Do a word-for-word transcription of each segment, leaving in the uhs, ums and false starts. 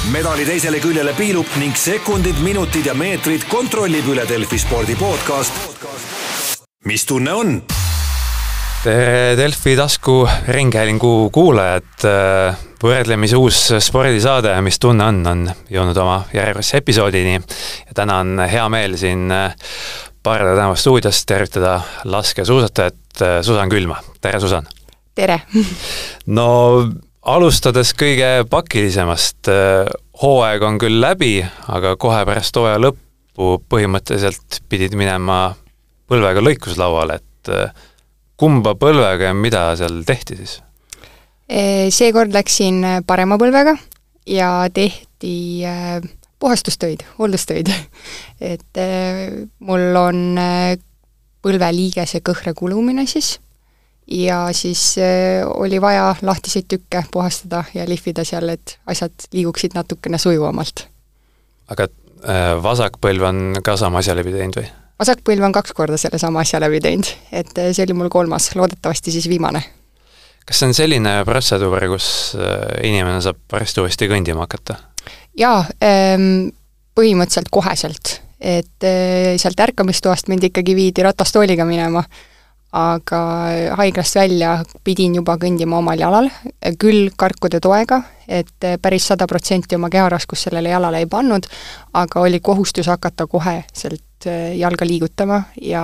medali teisele küljele piilub ning sekundid, minutid ja meetrid kontrollib üle Delfi spordi podcast. Mis tunne on? Tere Delfi tasku ringhäälingu kuulajad. Võrdlemise uus spordisaade Mis tunne on, on jõudnud oma järjekordse episoodini. Ja täna on hea meel siin Parda tänava stuudios tervitada laskesuusatajat Susan Külma. Tere, Susan! Tere! No alustades kõige pakilisemast, hooaeg on küll läbi, aga kohe pärast hooaja lõppu põhimõtteliselt pidid minema põlvega lõikuslauale, et kumba põlvega ja mida seal tehti siis? Seekord läksin parema põlvega ja tehti puhastustöid, hooldustöid. Et mul on põlveliigese kõhre kulumine siis ja siis oli vaja lahtiseid tükke puhastada ja lihvida seal, et asjad liiguksid natukene sujuvamalt. Aga vasakpõlv on ka sama asja läbi teinud või? Vasakpõlv on kaks korda selle sama asja läbi teinud, et see oli mul kolmas, loodetavasti siis viimane. Kas see on selline protseduur, kus inimene saab pärast uuesti kõndima hakata? Jaa, põhimõtteliselt koheselt, et sealt ärkamistoast mind ikkagi viidi ratastooliga minema, aga haiglast välja pidin juba kõndima omal jalal, küll karkude toega, et päris sada protsenti oma keharaskus sellele jalale ei pannud, aga oli kohustus hakata kohe sealt jalga liigutama ja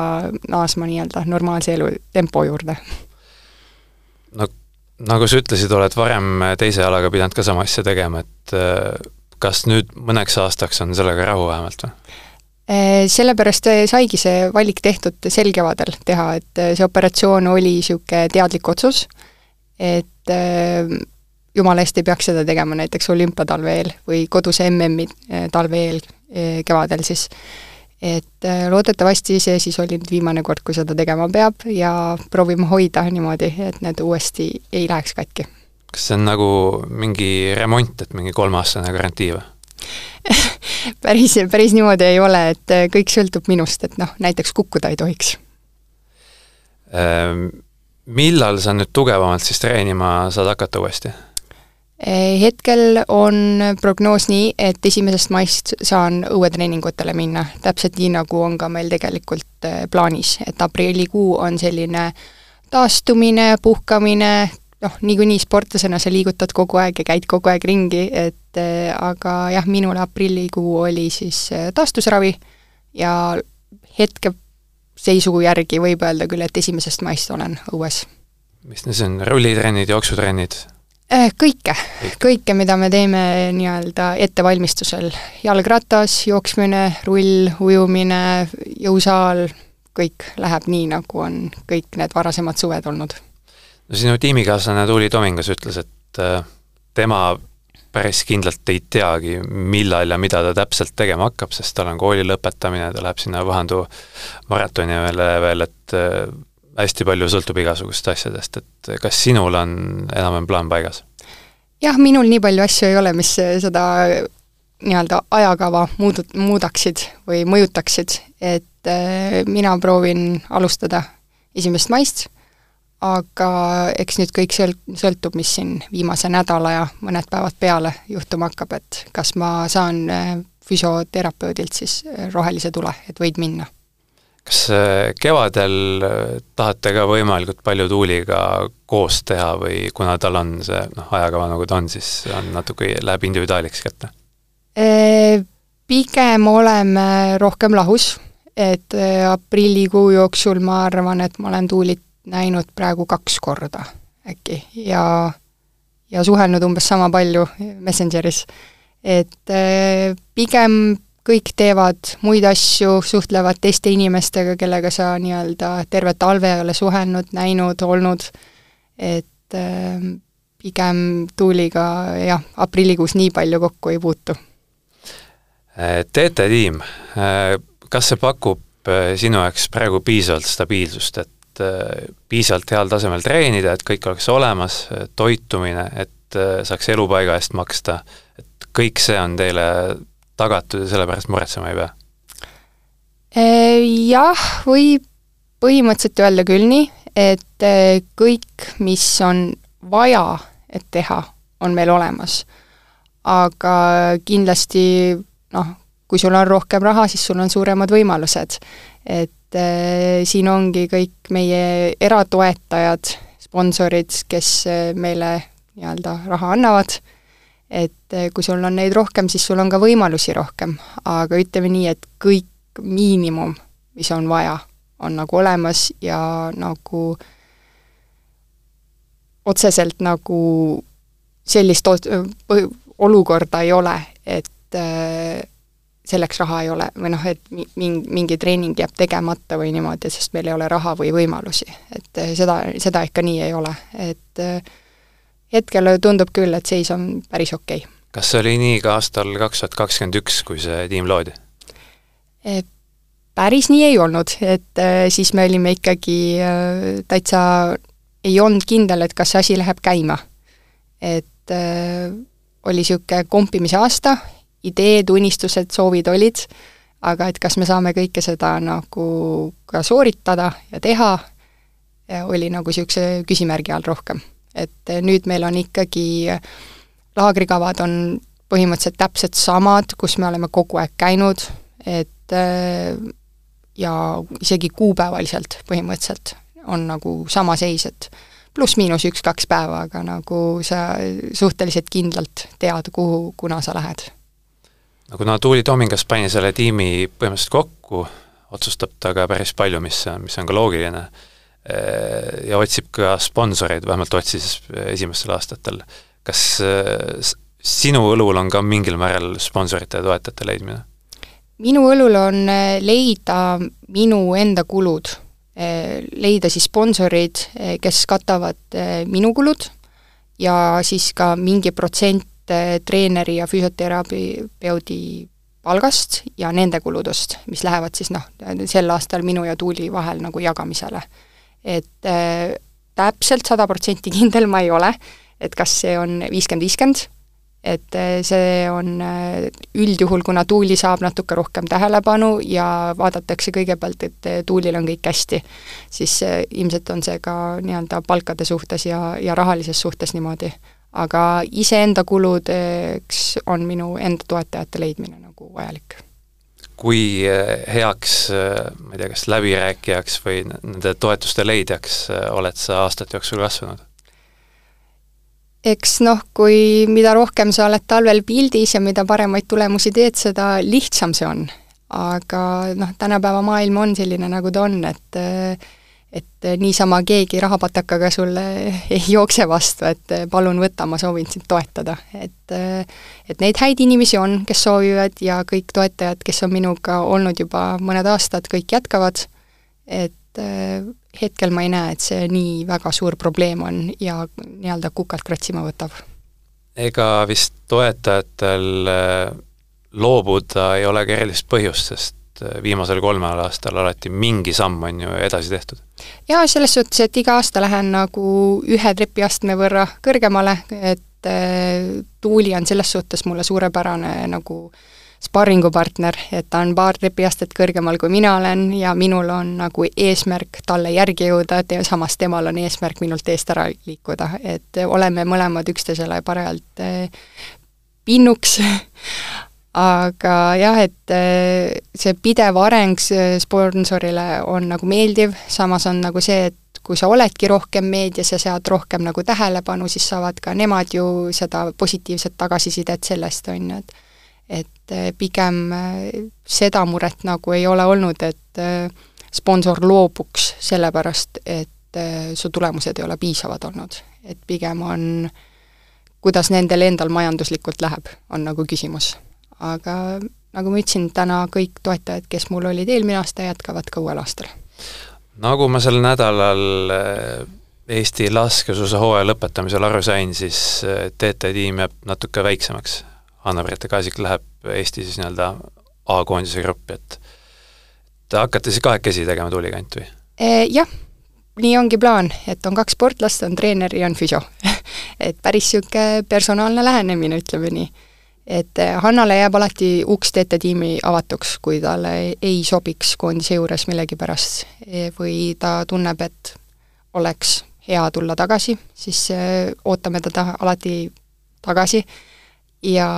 naasma nii-öelda normaalse elu tempo juurde. No, nagu sa ütlesid, oled varem teise jalaga pidanud ka sama asja tegema, et kas nüüd mõneks aastaks on sellega rahu vähemalt või? Sellepärast saigi see valik tehtud sel kevadel teha, et see operatsioon oli siuke teadlik otsus, et jumala eest ei peaks seda tegema näiteks olümpiatalve eel või kodus M M-i talve eel kevadel siis. Et loodetavasti see siis oli nüüd viimane kord, kui seda tegema peab ja proovime hoida niimoodi, et need uuesti ei läheks katki. Kas see on nagu mingi remont, et mingi kolmeaastane garantii või? päris, päris niimoodi ei ole, et kõik sõltub minust, et noh, näiteks kukkuda ei tohiks. Millal sa nüüd tugevamalt siis treenima saad hakata uuesti? Hetkel on prognoos nii, et esimesest maist saan õuetreeningutele minna, täpselt nii nagu on ka meil tegelikult plaanis, et aprillikuu on selline taastumine, puhkamine, noh, niikuinii sportlasena sa liigutad kogu aeg ja käid kogu aeg ringi, et aga jah, minule aprillikuu oli siis taastusravi ja hetke seisu järgi võib öelda küll, et esimesest maist olen õues. Mis need on? Rullitrennid, jooksutrennid? Kõike, kõike, mida me teeme nii-öelda ettevalmistusel. Jalgratas, jooksmine, rull, ujumine, jõusaal, kõik läheb nii, nagu on kõik need varasemad suved olnud. No sinu tiimikaaslane Tuuli Tomingas ütles, et tema päris kindlalt ei teagi, millal ja mida ta täpselt tegema hakkab, sest tal on kooli lõpetamine, ta läheb sinna Vahandu maratoni veel, et hästi palju sõltub igasugust asjadest, et kas sinul on enam plaan paigas? Jah, minul nii palju asju ei ole, mis seda nii-öelda ajakava muudut, muudaksid või mõjutaksid, et mina proovin alustada esimest maist, aga eks nüüd kõik sõltub, mis siin viimase nädala ja mõned päevad peale juhtuma hakkab, et kas ma saan füsioterapeudilt siis rohelise tule, et võid minna. Kas kevadel tahate ka võimalikult palju Tuuliga koos teha või kuna tal on see noh, ajakava nagu ta on, siis on natuke läheb individuaaliks kätte? Pigem oleme rohkem lahus, et aprillikuu jooksul ma arvan, et ma olen Tuulit näinud praegu kaks korda äkki ja, ja suhelnud umbes sama palju Messengeris. Et pigem kõik teevad muid asju, suhtlevad teiste inimestega, kellega sa nii-öelda terve talve ei ole suhelnud, näinud, olnud, et pigem Tuuliga jah, aprillikuus nii palju kokku ei puutu. T T-tiim, kas see pakub sinu jaoks praegu piisavalt stabiilsust, et piisavalt heal tasemel treenida, et kõik oleks olemas, toitumine, et saaks elupaiga eest maksta, et kõik see on teile tagatud ja sellepärast muretsema ei pea? Jah, võib põhimõtteliselt öelda küll nii, et kõik, mis on vaja, et teha, on meil olemas. aga kindlasti noh, kui sul on rohkem raha, siis sul on suuremad võimalused. Et äh, siin ongi kõik meie eratoetajad, sponsorid, kes meile nii-öelda raha annavad, et kui sul on neid rohkem, siis sul on ka võimalusi rohkem, aga ütleme nii, et kõik miinimum, mis on vaja, on nagu olemas ja nagu otseselt nagu sellist olukorda ei ole, et selleks raha ei ole, või noh, et mingi, mingi treening jääb tegemata või niimoodi, sest meil ei ole raha või võimalusi. Et seda, seda ikka nii ei ole. Et hetkel tundub küll, et seis on päris okei. Kas see oli nii ka aastal kaks tuhat kakskümmend üks, kui see tiim loodi? Päris nii ei olnud, et siis me olime ikkagi täitsa, ei olnud kindel, et kas see asi läheb käima. Et oli siuke kompimise aasta, ideed, unistused, soovid olid, aga et kas me saame kõike seda nagu ka sooritada ja teha, oli nagu siukse küsimärgi all rohkem. Et nüüd meil on ikkagi, laagrikavad on põhimõtteliselt täpselt samad, kus me oleme kogu aeg käinud, et ja isegi kuupäevaliselt põhimõtteliselt on nagu sama seis, et pluss miinus üks-kaks päeva, aga nagu sa suhteliselt kindlalt tead, kuhu, kuna sa lähed. No kuna Tuuli Tomingas pani selle tiimi põhimõtteliselt kokku, otsustab ta ka päris palju, mis, mis on ka loogiline, ja otsib ka sponsoreid, vähemalt otsis esimestel aastatel. Kas sinu õlul on ka mingil määral sponsorite ja toetajate leidmine? Minu õlul on leida minu enda kulud, leida siis sponsorid, kes katavad minu kulud ja siis ka mingi protsent treeneri ja füsioterapeudi palgast ja nende kuludest, mis lähevad siis noh, sel aastal minu ja Tuuli vahel nagu jagamisele. Et äh, täpselt sada protsenti kindel ma ei ole, et kas see on viiskümmend viiskümmend, et äh, see on äh, üldjuhul, kuna Tuuli saab natuke rohkem tähelepanu ja vaadatakse kõigepealt, et Tuulil on kõik hästi, siis äh, ilmselt on see ka nii-öelda palkade suhtes ja, ja rahalises suhtes niimoodi. Aga iseenda kuludeks on minu enda toetajate leidmine nagu vajalik. Kui heaks, ma ei tea, kas läbirääkijaks või nende toetuste leidjaks oled sa aastate jooksul kasvanud? Eks noh, kui mida rohkem sa oled talvel pildis ja mida paremaid tulemusi teed, seda lihtsam see on. Aga noh, tänapäeva maailm on selline, nagu ta on, et et niisama keegi rahapatakaga sulle ei jookse vastu, et palun võtta, ma soovin sind toetada. Et, et neid häid inimesi on, kes soovivad ja kõik toetajad, kes on minuga olnud juba mõned aastad, kõik jätkavad. Et hetkel ma ei näe, et see nii väga suur probleem on ja nii-öelda kukalt kratsima võtab. Ega vist toetajatel loobuda ei ole erilist põhjust, sest viimasel kolmel aastal alati mingi samm on ju edasi tehtud. Ja selles suhtes, et iga aasta lähen nagu ühe trepiastme võrra kõrgemale, et Tuuli on selles suhtes mulle suurepärane nagu sparringupartner, et ta on paar trepiastet kõrgemal kui mina olen ja minul on nagu eesmärk talle järgi jõuda, et samas temal on eesmärk minult eest ära liikuda, et oleme mõlemad üksteisele parajalt pinnuks. Aga jah, et see pidev areng sponsorile on nagu meeldiv, samas on nagu see, et kui sa oledki rohkem meedias ja saad rohkem nagu tähelepanu, siis saavad ka nemad ju seda positiivset tagasisidet sellest, on, et et pigem seda muret nagu ei ole olnud, et sponsor loobuks sellepärast, et su tulemused ei ole piisavad olnud. Et pigem on, kuidas nendel endal majanduslikult läheb, on nagu küsimus. Aga nagu ma ütlesin, täna kõik toetajad, kes mul olid eelmine aasta, jätkavad ka uuel aastal. Nagu ma sel nädalal Eesti laskesuusa hooaja lõpetamisel aru sain, siis T T-tiim jääb natuke väiksemaks. Anna-Britta Kaasik läheb Eesti siis nii-öelda A-koondise gruppi, et te hakkate siis kahekesi tegema Tuulikant või? E, jah, nii ongi plaan, et on kaks sportlast, on treener ja on füsio. Et päris siuke personaalne lähenemine, ütleme nii. Et Hannale jääb alati uks T T-tiimi avatuks, kui talle ei sobiks koondise juures millegi pärast või ta tunneb, et oleks hea tulla tagasi, siis ootame teda alati tagasi ja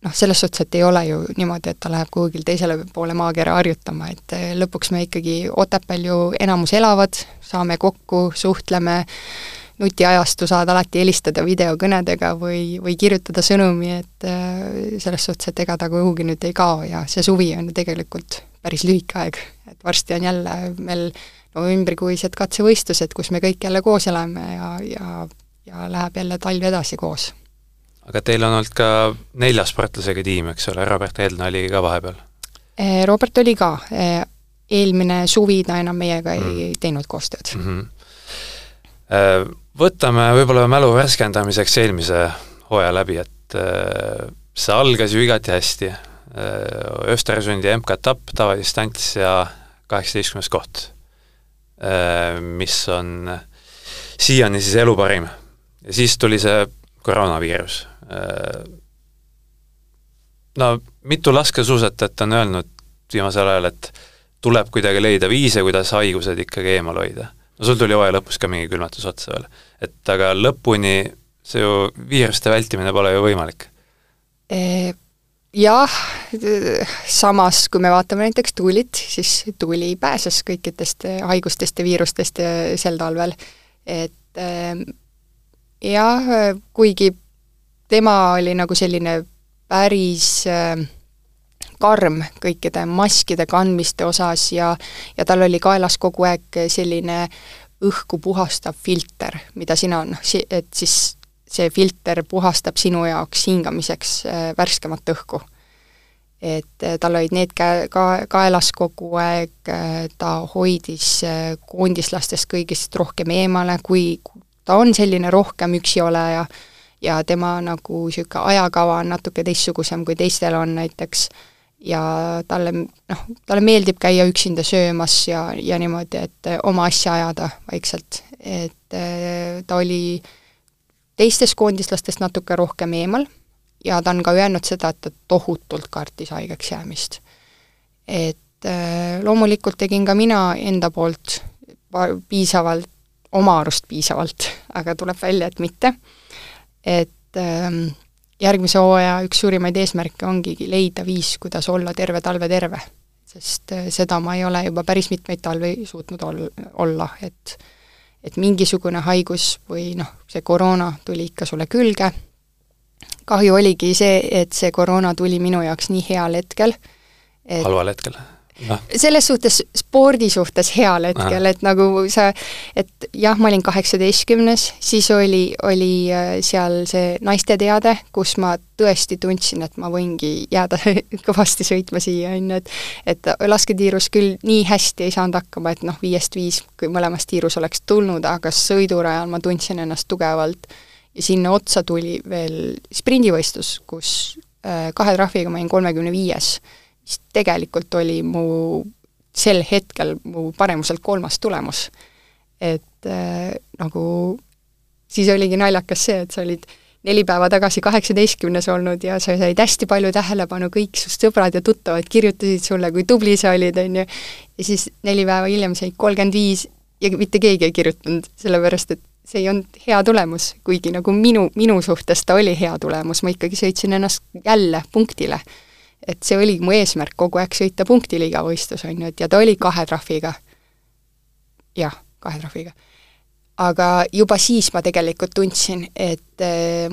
noh, selles suhtes, et ei ole ju niimoodi, et ta läheb kuhugil teisele poole maakera harjutama, et lõpuks me ikkagi Otepääl ju enamus elavad, saame kokku, suhtleme, nutiajastu saad alati helistada videokõnedega või, või kirjutada sõnumi, et selles suhtes, et ega ta kuhugi nüüd ei kao ja see suvi on ju tegelikult päris lühike aeg, et varsti on jälle meil novembrikuised katsevõistlused, kus me kõik jälle koos elame ja, ja, ja läheb jälle talv edasi koos. Aga teil on olnud ka nelja sportlasega tiim, eks ole, Robert Eldna oli ka vahepeal? Robert oli ka. Eelmine suvi ta enam meiega mm. ei teinud koostööd. Mm-hmm. Võtame võib-olla mälu värskendamiseks eelmise hooaja läbi, et see algas ju igati hästi. Östersundi M K-tapp, tavadistants ja kaheksateistkümnes koht, mis on siiani siis elu parim. Ja siis tuli see koroonaviirus. No mitu laskesuusatajat on öelnud viimasel ajal, et tuleb kuidagi leida viise, kuidas haigused ikkagi eemal hoida. No sul tuli hooaja lõpus ka mingi külmatus otsa veel. Et aga lõpuni see ju viiruste vältimine pole ju võimalik. Jah, samas kui me vaatame näiteks Tuulit, siis Tuuli pääses kõikidest haigustest ja viirustest sel talvel. Et jah, kuigi tema oli nagu selline päris karm kõikide maskide kandmiste osas ja, ja tal oli kaelas kogu aeg selline õhku puhastav filter, mida sina on, et siis see filter puhastab sinu jaoks hingamiseks värskemat õhku. Et tal olid need ka, ka, kaelas kogu aeg, ta hoidis koondislastest kõigist rohkem eemale, kui ta on selline rohkem üksi oleja ja tema nagu siuke ajakava on natuke teistsugusem kui teistel on näiteks ja talle, noh, talle meeldib käia üksinda söömas ja, ja niimoodi, et oma asja ajada vaikselt. Et ta oli teistest koondislastest natuke rohkem eemal ja ta on ka öelnud seda, et ta tohutult kartis haigeks jäämist. Et loomulikult tegin ka mina enda poolt piisavalt, oma arust piisavalt, aga tuleb välja, et mitte. Et ähm, järgmise hooaja üks suurimaid eesmärke ongi leida viis, kuidas olla terve talve terve, sest äh, seda ma ei ole juba päris mitmeid talve suutnud ol- olla, et, et mingisugune haigus või noh, see koroona tuli ikka sulle külge. Kahju oligi see, et see koroona tuli minu jaoks nii heal hetkel. Et halval hetkel? No. Selles suhtes, spordi suhtes heal hetkel, Aha. et nagu sa, et jah, ma olin kaheksateistkümnes, siis oli, oli seal see naiste teade, kus ma tõesti tundsin, et ma võingi jääda kõvasti sõitma siia, et, et lasketiirus küll nii hästi ei saanud hakkama, et noh, viiest viis, kui mõlemast tiirus oleks tulnud, aga sõidurajal ma tundsin ennast tugevalt ja sinna otsa tuli veel sprindivõistlus, kus kahe trahviga ma olin kolmekümne viies, mis tegelikult oli mu sel hetkel mu paremuselt kolmas tulemus. Et äh, nagu siis oligi naljakas see, et sa olid neli päeva tagasi kaheksateistkümnes olnud ja sa said hästi palju tähelepanu, kõik su sõbrad ja tuttavad kirjutasid sulle, kui tubli sa olid, on ju. Ja siis neli päeva hiljem said kolmkümmend viis ja mitte keegi ei kirjutanud, sellepärast, et see ei olnud hea tulemus, kuigi nagu minu, minu suhtes ta oli hea tulemus, ma ikkagi sõitsin ennast jälle punktile. Et see oli mu eesmärk kogu aeg sõita punktiliiga võistlus, on ju, et ja ta oli kahe trahviga. Jah, kahe trahviga. Aga juba siis ma tegelikult tundsin, et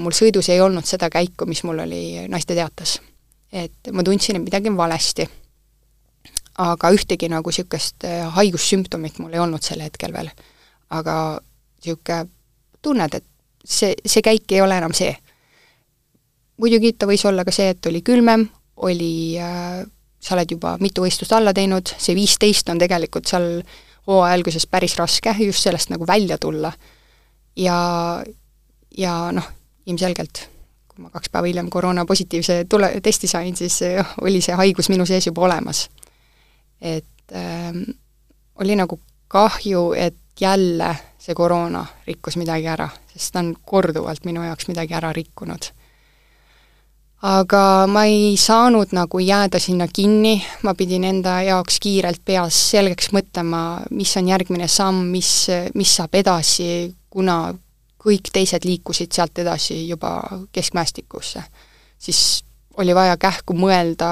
mul sõidus ei olnud seda käiku, mis mul oli naiste teatas. Et ma tundsin, et midagi on valesti. Aga ühtegi nagu siukest haigussümptomit mul ei olnud sel hetkel veel. Aga siuke tunned, et see, see käik ei ole enam see. Muidugi ta võis olla ka see, et oli külmem, oli, äh, sa oled juba mitu võistlust alla teinud, see viisteist on tegelikult seal hooaja alguses päris raske just sellest nagu välja tulla. Ja, ja noh, ilmselgelt, kui ma kaks päeva hiljem koroona positiivse tule, testi sain, siis oli see haigus minu sees juba olemas. Et äh, oli nagu kahju, et jälle see koroona rikkus midagi ära, sest ta on korduvalt minu jaoks midagi ära rikkunud. Aga ma ei saanud nagu jääda sinna kinni, ma pidin enda jaoks kiirelt peas selgeks mõtlema, mis on järgmine samm, mis, mis saab edasi, kuna kõik teised liikusid sealt edasi juba keskmäestikusse. siis oli vaja kähku mõelda,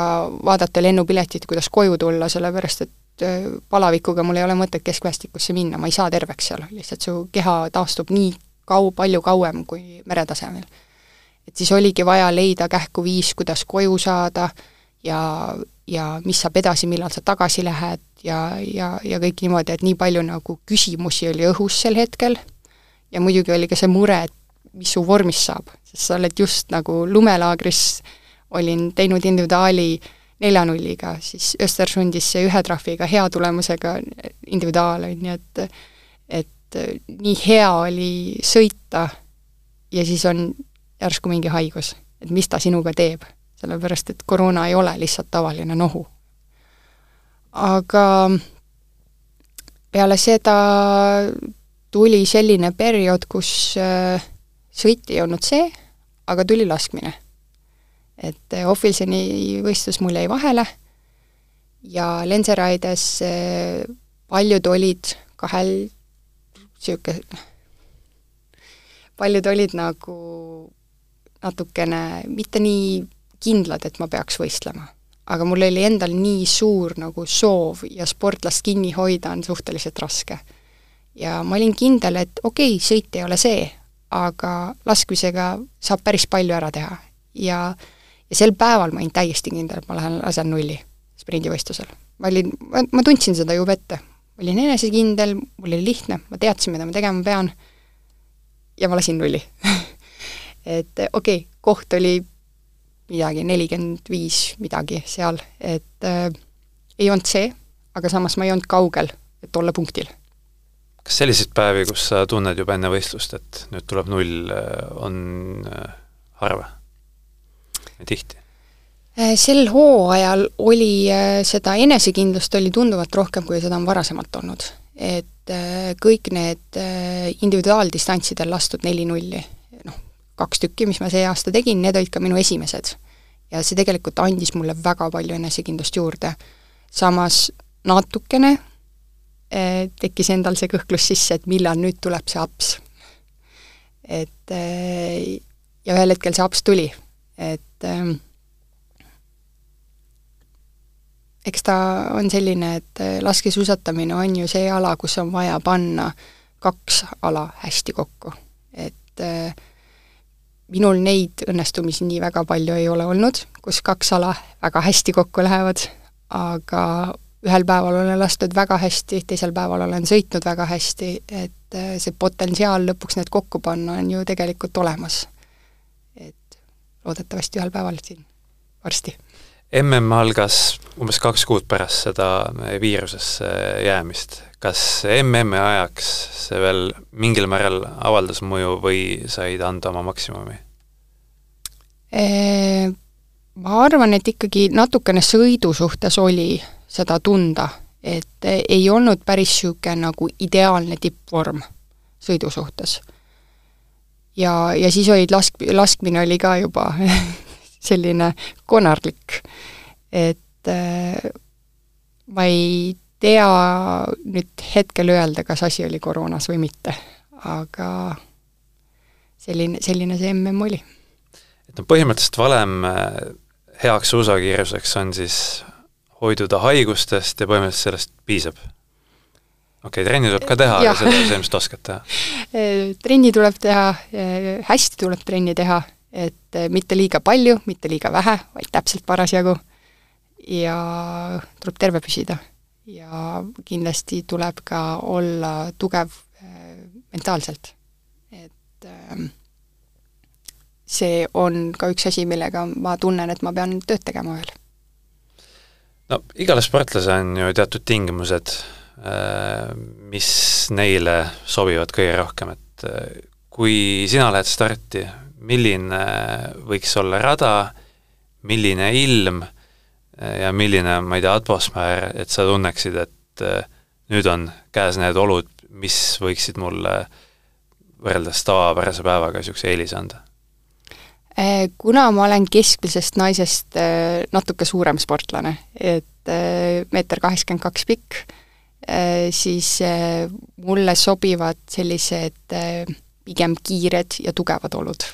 vaadata lennupiletit, kuidas koju tulla, sellepärast et palavikuga mul ei ole mõtet keskväestikusse minna, ma ei saa terveks seal, lihtsalt su keha taastub nii kau-, palju kauem kui meretasemel. Et siis oligi vaja leida kähku viis, kuidas koju saada ja, ja mis saab edasi, millal sa tagasi lähed ja, ja, ja kõik niimoodi, et nii palju nagu küsimusi oli õhus sel hetkel ja muidugi oli ka see mure, et mis su vormis saab, sest sa oled just nagu lumelaagris, olin teinud individuaali neljanulliga, siis Östersundis see ühe trahviga hea tulemusega individuaal, nii et et nii hea oli sõita ja siis on järsku mingi haigus, et mis ta sinuga teeb, sellepärast et koroona ei ole lihtsalt tavaline nohu. Aga peale seda tuli selline periood, kus sõit ei olnud see, aga tuli laskmine. Et Ofilseni võistlus mul jäi vahele ja Lenseraides paljud olid kahel siuke, paljud olid nagu natukene mitte nii kindlad, et ma peaks võistlema. Aga mul oli endal nii suur nagu soov ja sportlast kinni hoida on suhteliselt raske. Ja ma olin kindel, et okei, okay, sõit ei ole see, aga laskmisega saab päris palju ära teha. Ja Ja sel päeval ma olin täiesti kindel, et ma lähen lasen nulli sprindivõistlusel. Ma, olin, ma, ma tundsin seda juba ette. Ma olin enesekindel, mul oli lihtne, ma teadsin, mida ma tegema pean ja ma lasin nulli. et okei, okay, koht oli midagi, nelikümmend viis midagi seal, et äh, ei olnud see, aga samas ma ei olnud kaugel, et olla punktil. Kas selliseid päevi, kus sa tunned juba enne võistlust, et nüüd tuleb null, on harva? Tihti? Sel hooajal oli seda enesekindlust oli tunduvalt rohkem, kui seda on varasemalt olnud. Et kõik need individuaaldistantsidel lastud neli nulli, noh, kaks tükki, mis ma see aasta tegin, need olid ka minu esimesed. Ja see tegelikult andis mulle väga palju enesekindlust juurde. Samas natukene tekkis endal see kõhklus sisse, et millal nüüd tuleb see aps. Et ja ühel hetkel see aps tuli. Et ähm, eks ta on selline, et laskesuusatamine on ju see ala, kus on vaja panna kaks ala hästi kokku. Et äh, minul neid õnnestumisi nii väga palju ei ole olnud, kus kaks ala väga hästi kokku lähevad, aga ühel päeval olen lastud väga hästi, teisel päeval olen sõitnud väga hästi, et äh, see potentsiaal lõpuks need kokku panna on ju tegelikult olemas. Loodetavasti ühel päeval siin varsti. M M algas umbes kaks kuud pärast seda viirusesse jäämist. Kas M M ajaks see veel mingil määral avaldas mõju või said anda oma maksimumi? E, ma arvan, et ikkagi natukene sõidu suhtes oli seda tunda, et ei olnud päris siuke nagu ideaalne tippvorm sõidu suhtes. Ja, ja siis olid lask, laskmine oli ka juba selline konarlik, et äh, ma ei tea nüüd hetkel öelda, kas asi oli koroonas või mitte, aga selline, selline see M M oli. Et no põhimõtteliselt valem heaks suusakiiruseks on siis hoiduda haigustest ja põhimõtteliselt sellest piisab? Okei, okay, trenni tuleb ka teha, aga seda see, mis oskad teha? Trenni tuleb teha, hästi tuleb trenni teha, et mitte liiga palju, mitte liiga vähe, vaid täpselt parasjagu ja tuleb terve püsida. Ja kindlasti tuleb ka olla tugev mentaalselt. Et see on ka üks asi, millega ma tunnen, et ma pean tööd tegema veel. No, igale sportlase on ju teatud tingimused, mis neile sobivad kõige rohkem, et kui sina lähed starti, milline võiks olla rada, milline ilm ja milline, ma ei tea, atmosfäär, et sa tunneksid, et nüüd on käes need olud, mis võiksid mulle võrreldes tavapärase päevaga niisuguse eelise anda? Kuna ma olen keskmisest naisest natuke suurem sportlane, et meeter kaheksakümmend kaks pikk, siis mulle sobivad sellised pigem kiired ja tugevad olud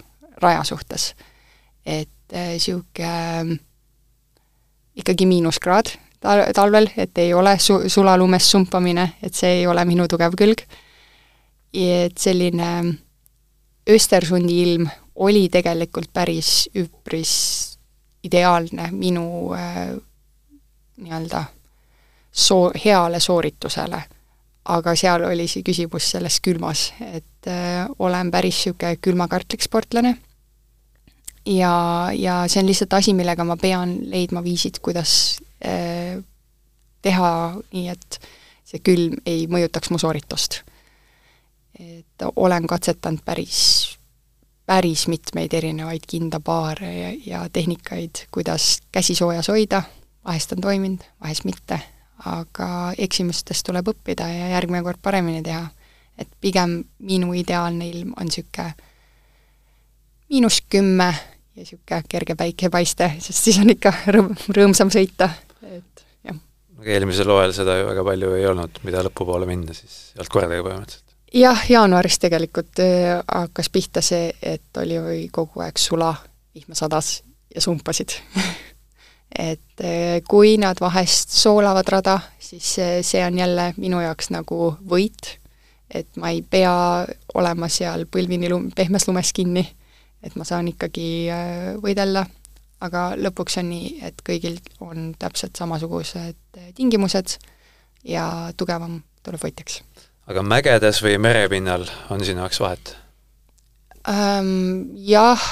raja suhtes. Et sihuke ikkagi miinuskraad tal- talvel, et ei ole su-, sulalumes sumpamine, et see ei ole minu tugev külg. Et selline Östersundi ilm oli tegelikult päris üpris ideaalne minu äh, nii-öelda soo-, heale sooritusele. Aga seal oli see küsimus selles külmas, et äh, olen päris siuke külmakartlik sportlane ja, ja see on lihtsalt asi, millega ma pean leidma viisid, kuidas äh, teha nii, et see külm ei mõjutaks mu sooritust. Et olen katsetanud päris, päris mitmeid erinevaid kindapaare ja, ja tehnikaid, kuidas käsi soojas hoida, vahest on toiminud, vahest mitte. Aga eksimustest tuleb õppida ja järgmine kord paremini teha. Et pigem minu ideaalne ilm on siuke miinus kümme ja siuke kerge päikepaiste, sest siis on ikka rõõm, rõõmsam sõita. Et, jah. Eelmisel hooajal seda ju väga palju ei olnud, mida lõpupoole minna, siis ei olnud kordagi põhimõtteliselt. Jah, jaanuaris tegelikult äh, hakkas pihta see, et oli kogu aeg sula, vihma sadas ja sumpasid. Et kui nad vahest soolavad rada, siis see on jälle minu jaoks nagu võit, et ma ei pea olema seal põlvini lum-, pehmes lumes kinni, et ma saan ikkagi võidella, aga lõpuks on nii, et kõigil on täpselt samasugused tingimused ja tugevam tuleb võitjaks. Aga mägedes või merepinnal on sinu jaoks vahet? Ähm, jah,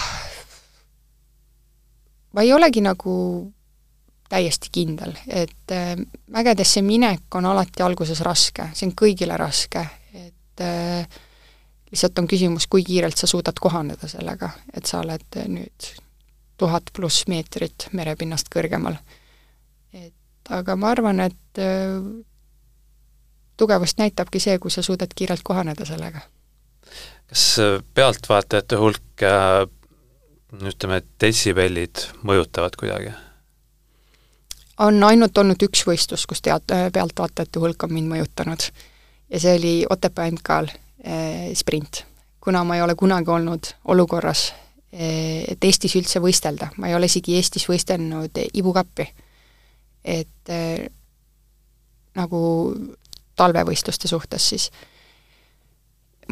ma ei olegi nagu täiesti kindel, et äh, mägedesse minek on alati alguses raske, see on kõigile raske, et äh, lihtsalt on küsimus, kui kiirelt sa suudad kohaneda sellega, et sa oled nüüd tuhat pluss meetrit merepinnast kõrgemal. Et aga ma arvan, et äh, tugevust näitabki see, kui sa suudad kiirelt kohaneda sellega. Kas pealtvaatajate hulk ja ütleme, detsibellid mõjutavad kuidagi? On ainult olnud üks võistlus, kus tead, pealtvaatajate hulk on mind mõjutanud. Ja see oli Otepää M K-l eh, sprint. Kuna ma ei ole kunagi olnud olukorras, eh, et Eestis üldse võistelda, ma ei ole isegi Eestis võistelnud ibukappi. Et eh, nagu talvevõistluste suhtes siis.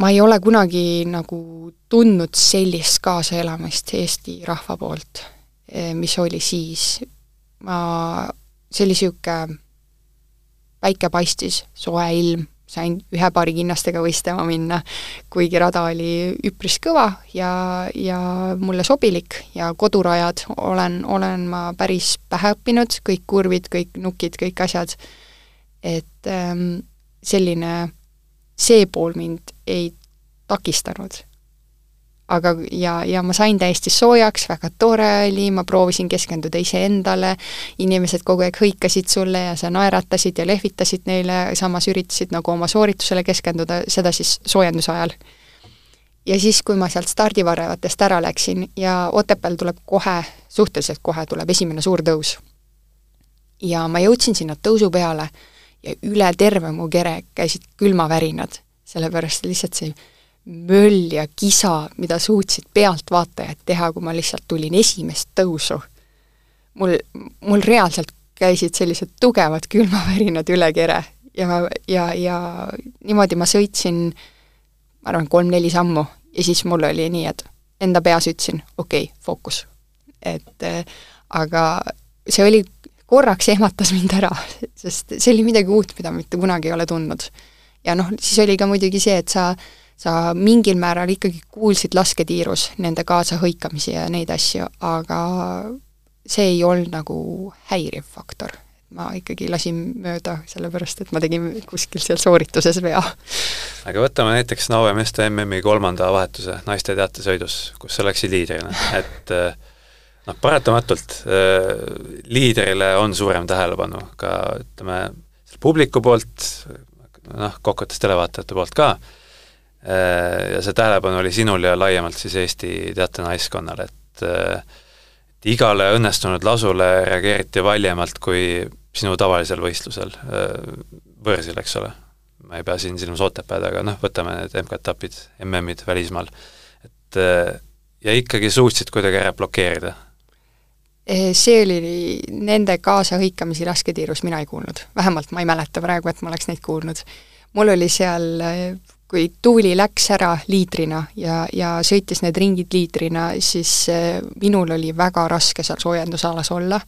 Ma ei ole kunagi nagu tundnud sellist kaasaelamist Eesti rahva poolt, eh, mis oli siis. Ma, see oli siuke päike paistis, soe ilm, sain ühe paari kinnastega võistlema minna, kuigi rada oli üpris kõva ja, ja mulle sobilik ja kodurajad olen, olen ma päris pähe õppinud, kõik kurvid, kõik nukid, kõik asjad. Et ähm, selline, see pool mind ei takistanud. Aga ja, ja ma sain täiesti soojaks, väga tore oli, ma proovisin keskenduda ise endale, inimesed kogu aeg hõikasid sulle ja sa naeratasid ja lehvitasid neile, samas üritasid nagu oma sooritusele keskenduda, seda siis soojenduse ajal. Ja siis, kui ma sealt stardivarevatest ära läksin ja Otepääl tuleb kohe, suhteliselt kohe tuleb esimene suur tõus. Ja ma jõudsin sinna tõusu peale ja üle terve mu kere käisid külmavärinad, sellepärast lihtsalt see möll ja kisa, mida suutsid pealtvaatajad teha, kui ma lihtsalt tulin esimest tõusu. Mul, mul reaalselt käisid sellised tugevad külmavärinad üle kere ja, ja, ja niimoodi ma sõitsin, ma arvan, kolm-neli sammu ja siis mul oli nii, et enda peas ütlesin, okei, okay, fookus. Et äh, aga see oli, korraks ehmatas mind ära, sest see oli midagi uut, mida mitte kunagi ei ole tundnud. Ja noh, siis oli ka muidugi see, et sa sa mingil määral ikkagi kuulsid lasketiirus nende kaasa hõikamisi ja neid asju, aga see ei olnud nagu häiriv faktor. Ma ikkagi lasin mööda, sellepärast, et ma tegin kuskil seal soorituses vea. Aga võtame näiteks Naue meeste M M-i kolmanda vahetuse naiste teatesõidus, kus sa läksid liidrina, et noh, paratamatult liidrile on suurem tähelepanu ka, ütleme, publiku poolt, noh, kokkuvõttes televaatajate poolt ka, ja see tähelepanu oli sinul ja laiemalt siis Eesti teatenaiskonnal, et, et igale õnnestunud lasule reageeriti valjemalt kui sinu tavalisel võistlusel võrsil, eks ole. Ma ei pea siin silmas Otepääd, aga noh, võtame need M K-etapid, M M-id välismaal. Et, ja ikkagi suutsid kuidagi ära blokeerida. See oli nende kaasahõikamisi lasketiirus, mina ei kuulnud. Vähemalt ma ei mäleta praegu, et ma oleks neid kuulnud. Mul oli seal, kui tuuli läks ära liitrina ja, ja sõitis need ringid liitrina, siis minul oli väga raske seal soojendusalas olla.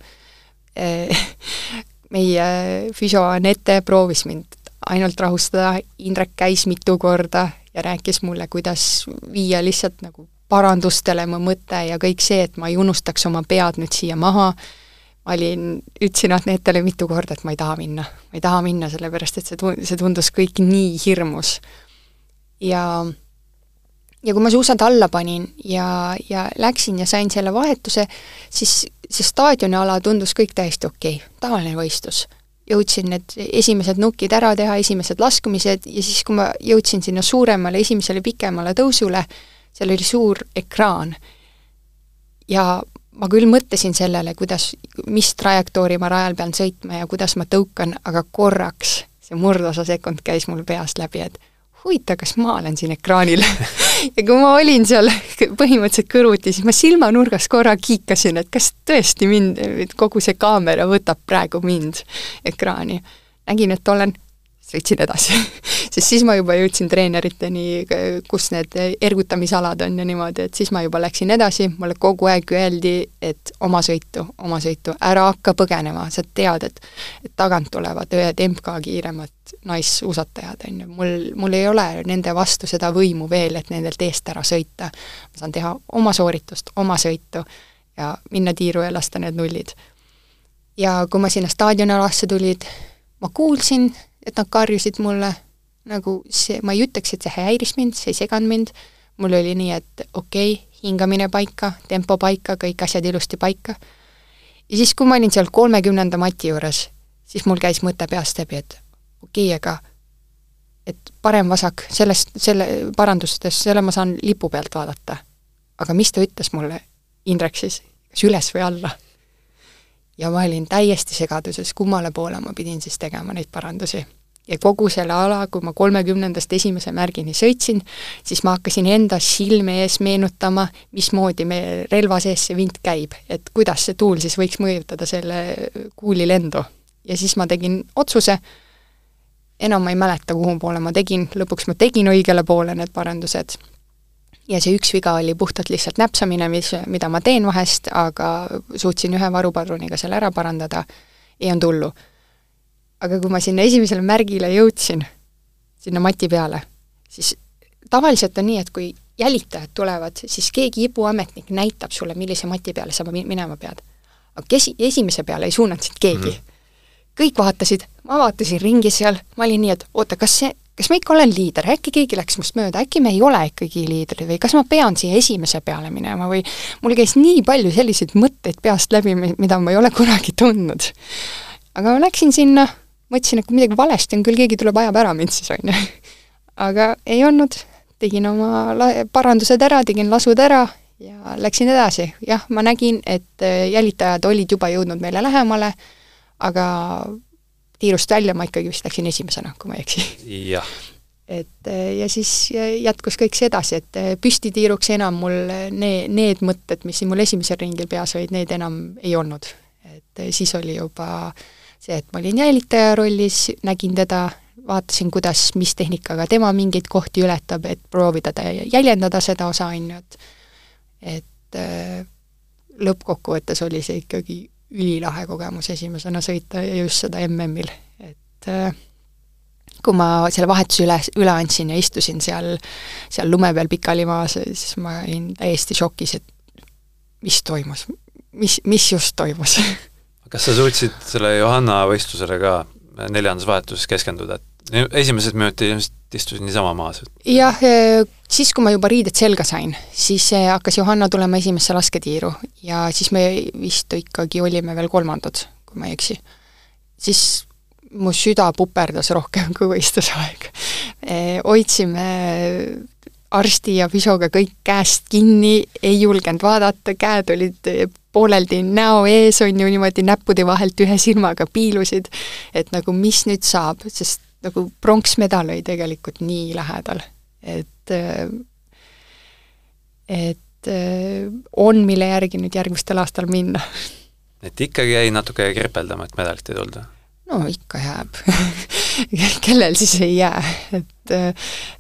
Meie füsio Anette proovis mind ainult rahustada, Indrek käis mitu korda ja rääkis mulle, kuidas viia lihtsalt nagu parandustele mu mõte ja kõik see, et ma ei unustaks oma pead nüüd siia maha. Ma olin, ütlesin Anetele mitu korda, et ma ei taha minna. Ma ei taha minna, sellepärast, et see tundus kõik nii hirmus. Ja, ja kui ma suusad alla panin ja, ja läksin ja sain selle vahetuse, siis see staadioniala tundus kõik täiesti okei, tavaline võistlus. Jõudsin need esimesed nukid ära teha, esimesed laskumised ja siis, kui ma jõudsin sinna suuremale, esimesele pikemale tõusule, seal oli suur ekraan ja ma küll mõtlesin sellele, kuidas, mis trajektoori ma rajal pean sõitma ja kuidas ma tõukan, aga korraks see murdosa sekund käis mul peast läbi, et huvita, kas ma olen siin ekraanil. Ja kui ma olin seal põhimõtteliselt kõrvuti, siis ma silmanurgas korra kiikasin, et kas tõesti mind, kogu see kaamera võtab praegu mind ekraani. Nägin, et olen, sõitsin edasi. Sest siis ma juba jõudsin treeneriteni, kus need ergutamisalad on ja niimoodi, et siis ma juba läksin edasi, mulle kogu aeg öeldi, et oma sõitu, oma sõitu, ära hakka põgenema, sa tead, et, et tagant tulevad ühed M K kiiremad naissuusatajad, on ju. Mul, mul ei ole nende vastu seda võimu veel, et nendelt eest ära sõita. Ma saan teha oma sooritust, oma sõitu ja minna tiiru ja lasta need nullid. Ja kui ma sinna staadionalasse tulid, ma kuulsin, et nad karjusid mulle, nagu see, ma ei ütleks, et see häiris mind, see ei seganud mind, mul oli nii, et okei, okay, hingamine paika, tempo paika, kõik asjad ilusti paika. Ja siis, kui ma olin seal kolmekümnenda mati juures, siis mul käis mõte peast läbi, et okei, okay, aga et parem vasak, sellest, selle parandustes, selle ma saan lipu pealt vaadata. Aga mis ta ütles mulle, Indrek siis, kas üles või alla? Ja ma olin täiesti segaduses, kummale poole ma pidin siis tegema neid parandusi. Ja kogu selle ala, kui ma kolmekümnendast esimese märgini sõitsin, siis ma hakkasin enda silme ees meenutama, mismoodi me relva sees see vint käib, et kuidas see tuul siis võiks mõjutada selle kuuli lendu. Ja siis ma tegin otsuse, enam ma ei mäleta, kuhu poole ma tegin, lõpuks ma tegin õigele poole need parandused. Ja see üks viga oli puhtalt lihtsalt näpsamine, mis, mida ma teen vahest, aga suutsin ühe varupadruniga selle ära parandada, ei on tullu. Aga kui ma sinna esimesele märgile jõudsin, sinna mati peale, siis tavaliselt on nii, et kui jälitajad tulevad, siis keegi ibuametnik näitab sulle, millise mati peale sa minema pead. Aga kesi, esimese peale ei suunanud siit keegi. Mm-hmm. Kõik vaatasid, ma vaatasin ringi seal, ma olin nii, et oota, kas see kas ma ikka olen liider, äkki keegi läks must mööda, äkki me ei ole ikkagi liidrid või kas ma pean siia esimese peale minema või mul käis nii palju selliseid mõtteid peast läbi, mida ma ei ole kunagi tundnud. Aga ma läksin sinna, mõtlesin, et kui midagi valesti on, küll keegi tuleb ajab ära mind siis on. Aga ei olnud, tegin oma parandused ära, tegin lasud ära ja läksin edasi. Jah, ma nägin, et jälitajad olid juba jõudnud meile lähemale, aga tiirust välja ma ikkagi vist läksin esimesena, kui ma ei eksi. Jah. Et, ja siis jätkus kõik see edasi, et püstitiiruks enam mul need, need mõtted, mis mul esimesel ringil peas olid, need enam ei olnud. Et siis oli juba see, et ma olin jälitaja rollis, nägin teda, vaatasin, kuidas, mis tehnikaga tema mingeid kohti ületab, et proovida ja jäljendada seda osa, et, et lõppkokkuvõttes oli see ikkagi ülilahe kogemus esimesena sõita ja just seda M M-il. Et kui ma selle vahetuse üle, üle andsin ja istusin seal, seal lume peal pikali maas, siis ma olin täiesti šokis, et mis toimus, mis, mis just toimus. Kas sa suutsid selle Johanna võistlusele ka neljandas vahetuses keskenduda, et esimesed minutid istusid niisama maas? Jah, siis kui ma juba riided selga sain, siis hakkas Johanna tulema esimesse lasketiiru ja siis me vist ikkagi olime veel kolmandad, kui ma ei eksi. Siis mu süda puperdas rohkem kui võistlusaeg. Hoidsime arsti ja füsioga kõik käest kinni, ei julgenud vaadata, käed olid pooleldi näo ees, on ju niimoodi näppude vahelt ühe silmaga piilusid, et nagu mis nüüd saab, sest nagu pronksmedal oli tegelikult nii lähedal, et et on, mille järgi nüüd järgmistel aastal minna. et ikkagi jäi natuke kirpeldama, et medalit ei tulda? No ikka jääb. Kellel siis ei jää, et,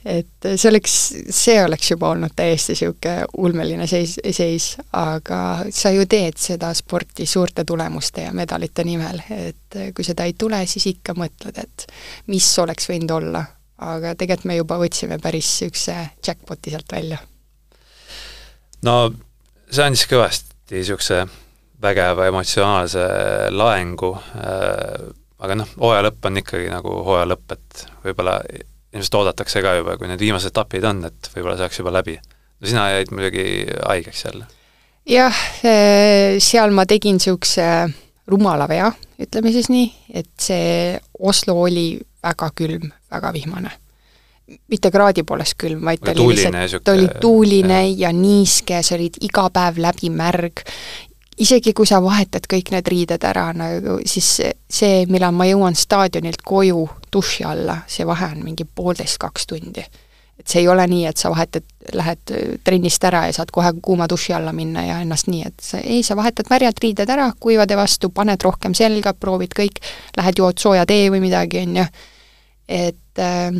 et see oleks, see oleks juba olnud täiesti siuke ulmeline seis, seis, aga sa ju teed seda sporti suurte tulemuste ja medalite nimel, et kui seda ei tule, siis ikka mõtled, et mis oleks võinud olla, aga tegelikult me juba võtsime päris siukse jackpoti sealt välja. No see andis kõvasti siukse vägeva emotsionaalse laengu, aga noh, hooaja lõpp on ikkagi nagu hooaja lõpp, et võib-olla ilmselt oodatakse ka juba, kui need viimased etapid on, et võib-olla saaks juba läbi. No sina jäid muidugi haigeks jälle. Jah, seal ma tegin siukse rumala vea, ütleme siis nii, et see Oslo oli väga külm, väga vihmane. Mitte kraadi poolest külm, vaid ta oli, lihtsalt, ta oli tuuline ja, ja niiske, sa olid iga päev läbi märg. Isegi kui sa vahetad kõik need riided ära, nagu, siis see, millal ma jõuan staadionilt koju duši alla, see vahe on mingi poolteist kaks tundi. Et see ei ole nii, et sa vahetad, lähed trennist ära ja saad kohe kuuma duši alla minna ja ennast nii, et sa, ei, sa vahetad märjad riided ära, kuivade vastu, paned rohkem selga, proovid kõik, lähed jood sooja tee või midagi, on ju. Et äh,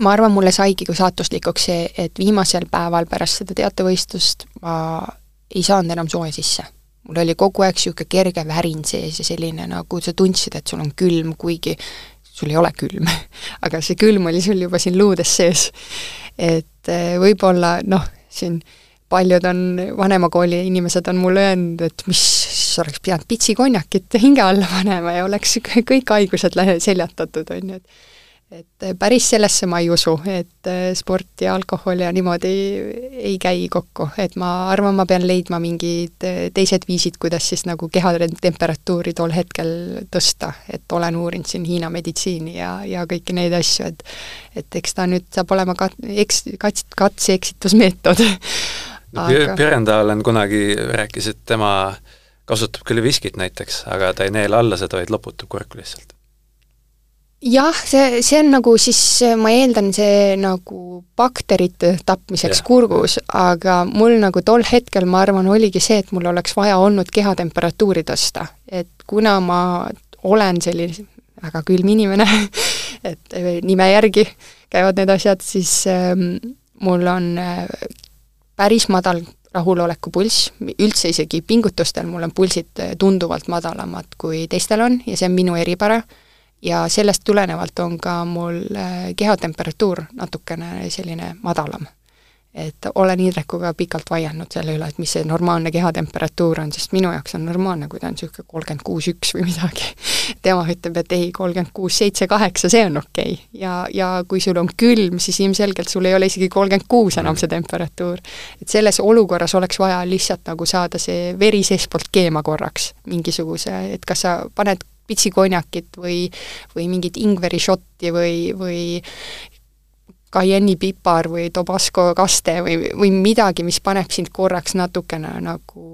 ma arvan, mulle saigi kui saatuslikuks see, et viimasel päeval pärast seda teatevõistlust ma ei saanud enam soe sisse. Mul oli kogu aeg siuke kerge värin sees ja selline, nagu sa tundsid, et sul on külm, kuigi sul ei ole külm. Aga see külm oli sul juba siin luudes sees. Et võib-olla, noh, siin paljud on, vanemakooli inimesed on mulle öelnud, et mis oleks pidanud pitsikonjakit hinge alla panema ja oleks kõik haigused seljatatud, on ju, et et päris sellesse ma ei usu, et sport ja alkohol ja niimoodi ei käi kokku, et ma arvan, ma pean leidma mingid teised viisid, kuidas siis nagu keha temperatuuri tol hetkel tõsta, et olen uurinud siin Hiina meditsiini ja, ja kõiki neid asju, et et eks ta nüüd saab olema kat, eks, kats, katse-eksitusmeetod. Aga... Pürendalen kunagi rääkis, et tema kasutab küll viskit näiteks, aga ta ei neela alla seda, vaid loputab kurku lihtsalt. Jah, see, see on nagu siis, ma eeldan see nagu bakterite tapmiseks yeah. kurgus, aga mul nagu tol hetkel, ma arvan, oligi see, et mul oleks vaja olnud keha temperatuuri tõsta. Et kuna ma olen selline väga külm inimene, et nime järgi käivad need asjad, siis ähm, mul on äh, päris madal rahuloleku pulss, üldse isegi pingutustel mul on pulsid tunduvalt madalamad kui teistel on ja see on minu eripära. Ja sellest tulenevalt on ka mul kehatemperatuur natukene selline madalam. Et olen Indrekuga pikalt vaielnud selle üle, et mis see normaalne kehatemperatuur on, sest minu jaoks on normaalne, kui ta on siuke kolmkümmend kuus üks või midagi. Tema ütleb, et ei, kolmkümmend kuus seitse kaheksa, see on okei. Ja, ja kui sul on külm, siis ilmselgelt sul ei ole isegi kolmkümmend kuus enam see temperatuur. Et selles olukorras oleks vaja lihtsalt nagu saada see veri seespoolt keema korraks mingisuguse, et kas sa paned pitsikonjakit või, või mingit ingveri šotti või, või Cayenne pipar või Tabasco kaste või, või midagi, mis paneb sind korraks natukene nagu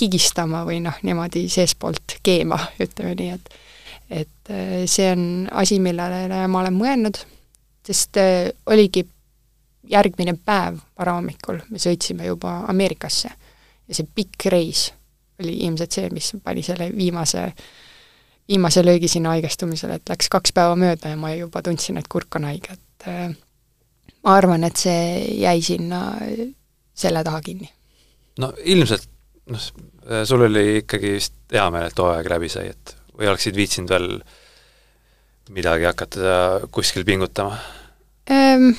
higistama või noh, niimoodi seespoolt keema, ütleme nii, et et see on asi, millele ma olen mõelnud, sest oligi järgmine päev varahommikul, me sõitsime juba Ameerikasse ja see pikk reis oli ilmselt see, mis pani selle viimase viimase löögi sinna haigestumisele, et läks kaks päeva mööda ja ma juba tundsin, et kurk on haige, et ma arvan, et see jäi sinna selle taha kinni. No ilmselt, noh, sul oli ikkagi vist hea meel, et hooaeg läbi sai, et või oleksid viitsinud veel midagi hakata kuskil pingutama? Ähm,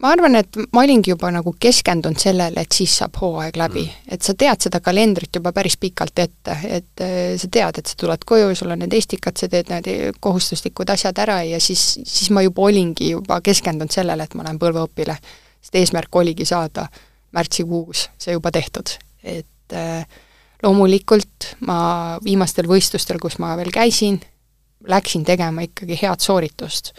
ma arvan, et ma olingi juba nagu keskendunud sellele, et siis saab hooaeg läbi. Mm. Et sa tead seda kalendrit juba päris pikalt ette, et sa tead, et sa tuled koju, sul on need estikad, sa teed need kohustuslikud asjad ära ja siis, siis ma juba olingi juba keskendunud sellele, et ma lähen põlveõpile. Sest eesmärk oligi saada märtsikuus see juba tehtud. Et loomulikult ma viimastel võistlustel, kus ma veel käisin, läksin tegema ikkagi head sooritust.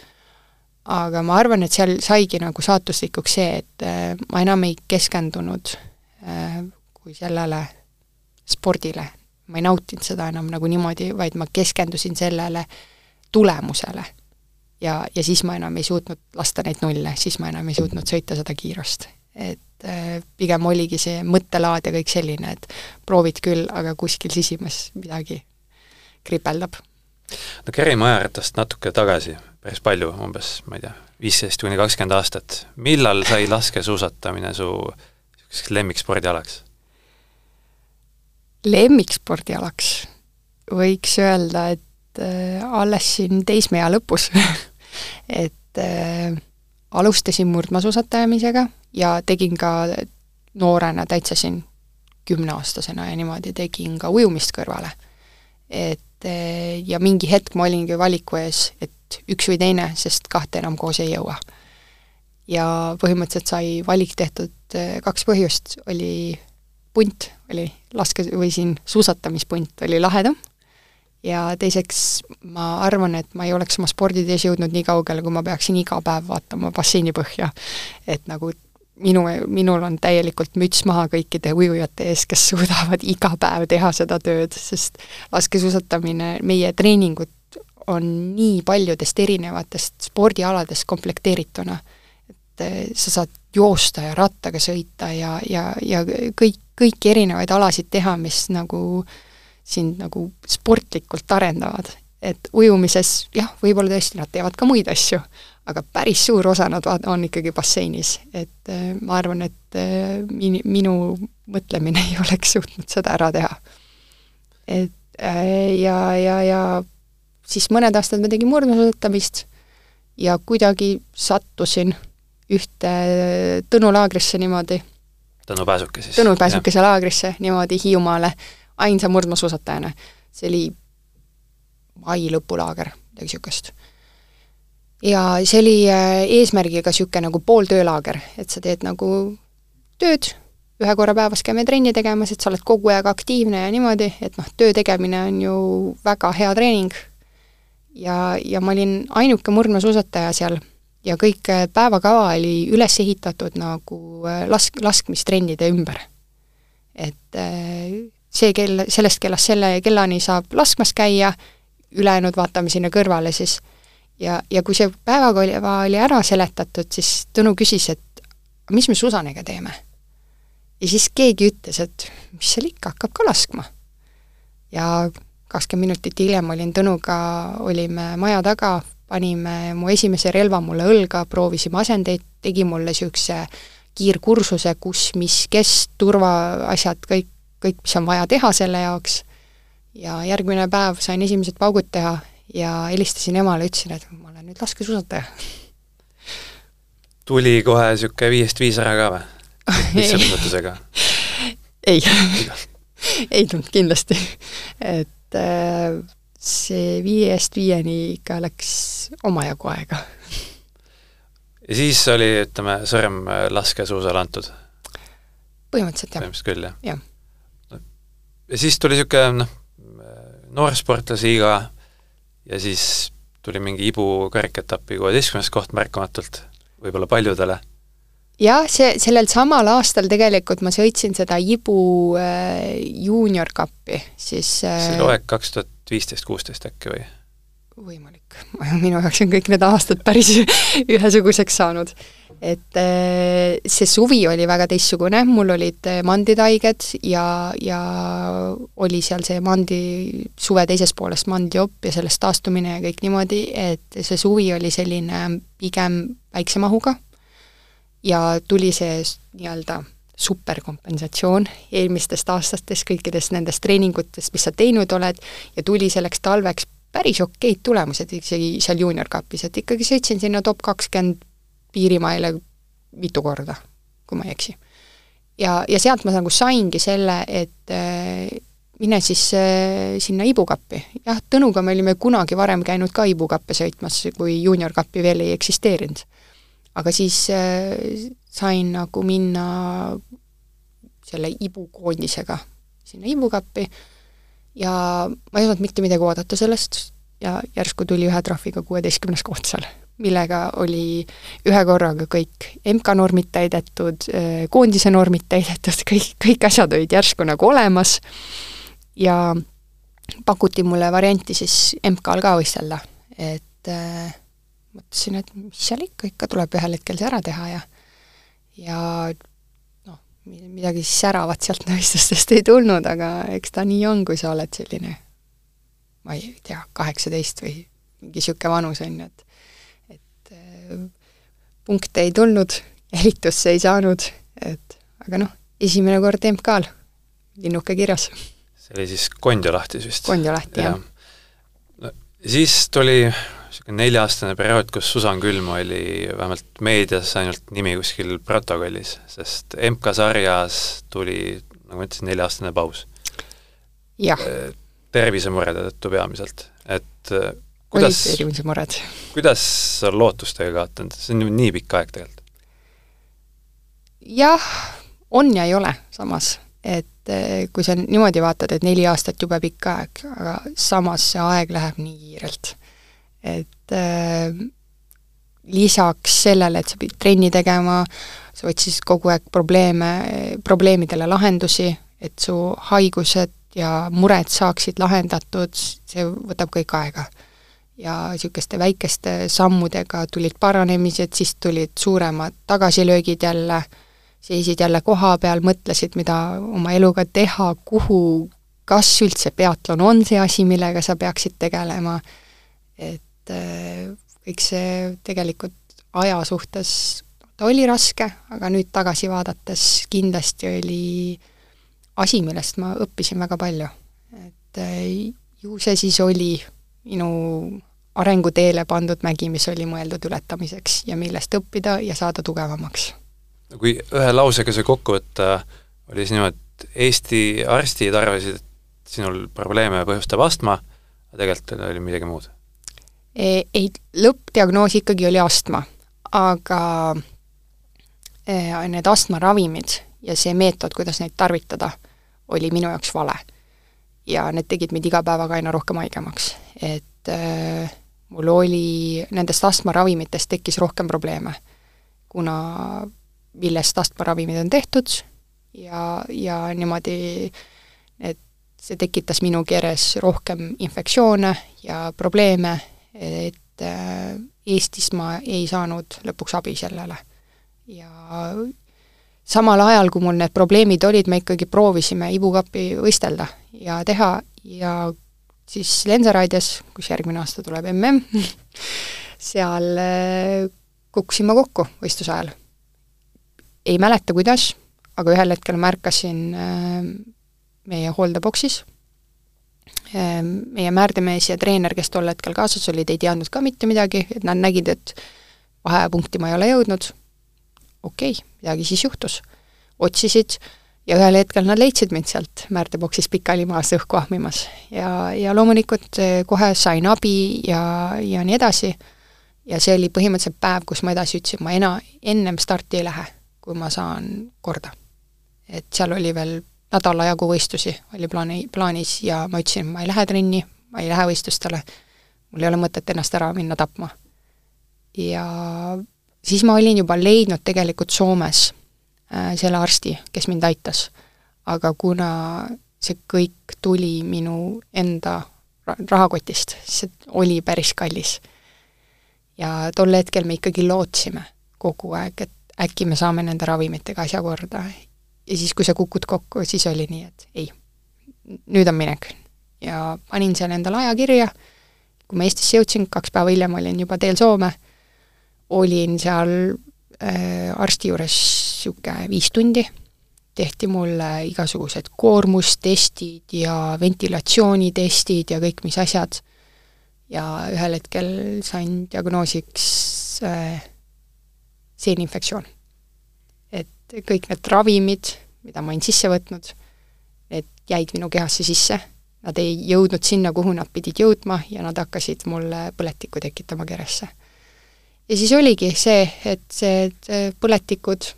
Aga ma arvan, et seal saigi nagu saatuslikuks see, et ma enam ei keskendunud kui sellele spordile. Ma ei nautinud seda enam nagu niimoodi, vaid ma keskendusin sellele tulemusele. Ja, ja siis ma enam ei suutnud lasta neid nulle, siis ma enam ei suutnud sõita seda kiirust. Et pigem oligi see mõttelaad ja kõik selline, et proovid küll, aga kuskil sisimas midagi kripeldab. No kerime ajaratast natuke tagasi, päris palju, umbes, ma ei tea, viisteist kuni kakskümmend aastat. Millal sai laskesuusatamine su lemmikspordialaks? Lemmikspordialaks võiks öelda, et äh, alles siin teismeea lõpus et äh, alustasin murdmaasuusatajamisega ja tegin ka noorena täitsa siin kümneaastasena ja niimoodi tegin ka ujumist kõrvale. Et ja mingi hetk ma olingi valiku ees, et üks või teine, sest kahte enam koos ei jõua. Ja põhimõtteliselt sai valik tehtud kaks põhjust, oli punt, oli laske või siin suusatamispunt oli lahedam ja teiseks ma arvan, et ma ei oleks oma sporditees jõudnud nii kaugele, kui ma peaksin iga päev vaatama basseini põhja. Et nagu minu, minul on täielikult müts maha kõikide ujujate ees, kes suudavad iga päev teha seda tööd, sest laskesuusatamine, meie treeningud on nii paljudest erinevatest spordialadest komplekteerituna. Et sa saad joosta ja rattaga sõita ja, ja, ja kõik, kõiki erinevaid alasid teha, mis nagu sind nagu sportlikult arendavad. Et ujumises, jah, võib-olla tõesti nad teevad ka muid asju, aga päris suur osa nad on ikkagi basseinis. Et äh, ma arvan, et äh, min, minu mõtlemine ei oleks suutnud seda ära teha. Et äh, ja, ja, ja siis mõned aastad ma tegin murdmaasuusatamist ja kuidagi sattusin ühte Tõnu laagrisse niimoodi. Tõnu Pääsuke siis. Tõnu Pääsukese laagrisse niimoodi Hiiumaale ainsa murdmaasuusatajana. See oli mai lõpulaager, midagi sükest. Ja see oli eesmärgiga süke nagu pool töölaager, et sa teed nagu tööd, ühe korra päevas käime trenni tegemas, et sa oled kogu aeg aktiivne ja niimoodi, et noh, töö tegemine on ju väga hea treening. Ja, ja ma olin ainuke murdmaasuusataja seal ja kõik päevakava oli üles ehitatud nagu lask, laskmistrennide ümber. Et see kell, sellest kellast selle kellani saab laskmas käia, ülejäänud vaatame sinna kõrvale siis. Ja, ja kui see päevaga oli, oli ära seletatud, siis Tõnu küsis, et mis me Susanega teeme? Ja siis keegi ütles, et mis seal ikka hakkab ka laskma. Ja kakskümmend minutit hiljem olin Tõnuga, olime maja taga, panime mu esimese relva mulle õlga, proovisime asendeid, tegi mulle siukse kiirkursuse, kus, mis, kes, turvaasjad, kõik, kõik, mis on vaja teha selle jaoks. Ja järgmine päev sain esimesed paugud teha ja helistasin emale, ütlesin, et ma olen nüüd laskesuusataja. Tuli kohe siuke viiest viis ära ka või? Lihtsalt ei, ei tulnud kindlasti. Et see viiest viieni ikka läks omajagu aega. Ja siis oli, ütleme, sõrm laskesuusal antud? Põhimõtteliselt jah. Põhimõtteliselt küll, jah? jah. Ja siis tuli siuke, noh, noorsportlasiiga ja siis tuli mingi Ibu kariketapi kuueteistkümnes koht märkamatult, võib-olla paljudele. Jah, see, sellel samal aastal tegelikult ma sõitsin seda Ibu äh, junior kappi, siis äh, see oli aeg kaks tuhat viisteist kuusteist äkki või? Võimalik. Minu jaoks on kõik need aastad päris ühesuguseks saanud. Et see suvi oli väga teissugune, mul olid manditaiged ja, ja oli seal see mandi, suve teises poolest mandiopp ja sellest taastumine ja kõik niimoodi, et see suvi oli selline pigem väiksemahuga ja tuli see nii-öelda superkompensatsioon eelmistest aastatest, kõikidest nendest treeningutest, mis sa teinud oled ja tuli selleks talveks päris okeid tulemused isegi seal junior kapis, et ikkagi sõitsin sinna top kakskümmend piirimaile mitu korda, kui ma ei eksi. Ja, ja sealt ma nagu saingi selle, et äh, mine siis äh, sinna Ibukappi. Jah, Tõnuga me olime kunagi varem käinud ka Ibukappe sõitmas, kui junior kappi veel ei eksisteerinud. Aga siis äh, sain nagu minna selle Ibu koondisega sinna Ibukappi ja ma ei saanud mitte midagi oodata sellest ja järsku tuli ühe trahviga kuueteistkümnes koht seal, millega oli ühe korraga kõik M K normid täidetud, koondise normid täidetud, kõik, kõik asjad olid järsku nagu olemas ja pakuti mulle varianti siis M K-l ka võistelda, et äh, mõtlesin, et mis seal ikka, ikka tuleb ühel hetkel see ära teha ja ja midagi säravat sealt nõistustest ei tulnud, aga eks ta nii on, kui sa oled selline, ma ei tea, kaheksateist või mingi siuke vanus on, et et punkte ei tulnud, eritusse ei saanud, et aga noh, esimene kord M K-l, linnuke kirjas. See oli siis Kondiolahtis vist? Kondiolahti, jah. No, siis tuli nelja-aastane periood, kus Susan Külm oli vähemalt meedias ainult nimi kuskil protokollis, sest M K-sarjas tuli, nagu ma ütlesin, nelja-aastane paus. Jah. Tervisemurede tõttu peamiselt. Et kuidas, olid tervisemured. Kuidas sa lootustega kaotanud? See on nii pikk aeg tegelikult. Jah, on ja ei ole samas. Et kui sa niimoodi vaatad, et neli aastat jube pikk aeg, aga samas see aeg läheb nii kiirelt. Et äh, lisaks sellele, et sa pidid trenni tegema, sa otsisid kogu aeg probleeme, probleemidele lahendusi, et su haigused ja mured saaksid lahendatud, see võtab kõik aega. Ja niisugeste väikeste sammudega tulid paranemised, siis tulid suuremad tagasilöögid jälle, seisid jälle koha peal, mõtlesid, mida oma eluga teha, kuhu, kas üldse peatlon on see asi, millega sa peaksid tegelema, et kõik see tegelikult aja suhtes, ta oli raske, aga nüüd tagasi vaadates kindlasti oli asi, millest ma õppisin väga palju. Et ju see siis oli minu arenguteele pandud mägi, mis oli mõeldud ületamiseks ja millest õppida ja saada tugevamaks. Kui ühe lausega see kokku võtta, oli siis niimoodi, et Eesti arstid arvasid, et sinul probleeme põhjustab astma, aga tegelikult oli midagi muud. Ei, lõppdiagnoos ikkagi oli astma, aga need astmaravimid ja see meetod, kuidas neid tarvitada, oli minu jaoks vale. Ja need tegid meid iga päevaga aina rohkem haigemaks. Et äh, mul oli, nendest astmaravimitest tekkis rohkem probleeme, kuna millest astmaravimid on tehtud ja, ja niimoodi, et see tekitas minu keres rohkem infektsioone ja probleeme, et Eestis ma ei saanud lõpuks abi sellele. Ja samal ajal, kui mul need probleemid olid, me ikkagi proovisime ibukapi võistelda ja teha ja siis Lensaraides, kus järgmine aasta tuleb M M, seal kukkusin ma kokku võistluse ajal. Ei mäleta, kuidas, aga ühel hetkel märkasin meie hooldeboksis, meie määrdemees ja treener, kes tol hetkel kaasas olid, ei teadnud ka mitte midagi, et nad nägid, et vahepunkti ma ei ole jõudnud, okei, okay, midagi siis juhtus. Otsisid ja ühel hetkel nad leidsid mind sealt määrteboksis pikali maas õhku ahmimas. Ja, ja loomulikult kohe sain abi ja, ja nii edasi. Ja see oli põhimõtteliselt päev, kus ma edasi ütlesin, ma ena, ennem starti ei lähe, kui ma saan korda. Et seal oli veel nädala jagu võistlusi, oli plaani, plaanis ja ma ütlesin, ma ei lähe trenni, ma ei lähe võistlustele, mul ei ole mõtet ennast ära minna tapma. Ja siis ma olin juba leidnud tegelikult Soomes äh, selle arsti, kes mind aitas. Aga kuna see kõik tuli minu enda rahakotist, see oli päris kallis. Ja tol hetkel me ikkagi lootsime kogu aeg, et äkki me saame nende ravimitega asja korda. Ja siis, kui sa kukud kokku, siis oli nii, et ei, nüüd on minek. Ja panin seal endale aja kirja, kui ma Eestisse jõudsin, kaks päeva hiljem olin juba teel Soome, olin seal äh, arsti juures siuke viis tundi, tehti mulle igasugused koormustestid ja ventilatsioonitestid ja kõik mis asjad. Ja ühel hetkel sain diagnoosiks äh, seeninfektsioon. Et kõik need ravimid, mida ma olin sisse võtnud, need jäid minu kehasse sisse. Nad ei jõudnud sinna, kuhu nad pidid jõudma ja nad hakkasid mulle põletikku tekitama keresse. Ja siis oligi see, et see et põletikud